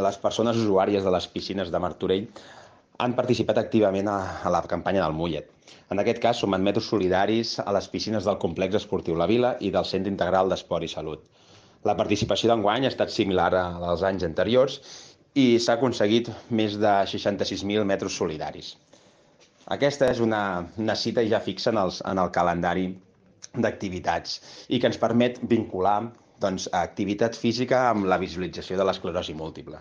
les persones usuàries de les piscines de Martorell han participat activament a la campanya del Mullet. En aquest cas, sumen metros solidaris a les piscines del complex esportiu La Vila i del Centre Integral d'Esport i Salut. La participació d'enguany ha estat similar a la dels anys anteriors i s'ha aconseguit més de 66.000 metres solidaris. Aquesta és una cita ja fixa en el calendari d'activitats i que ens permet vincular, doncs, activitat física amb la visualització de l'esclerosi múltiple.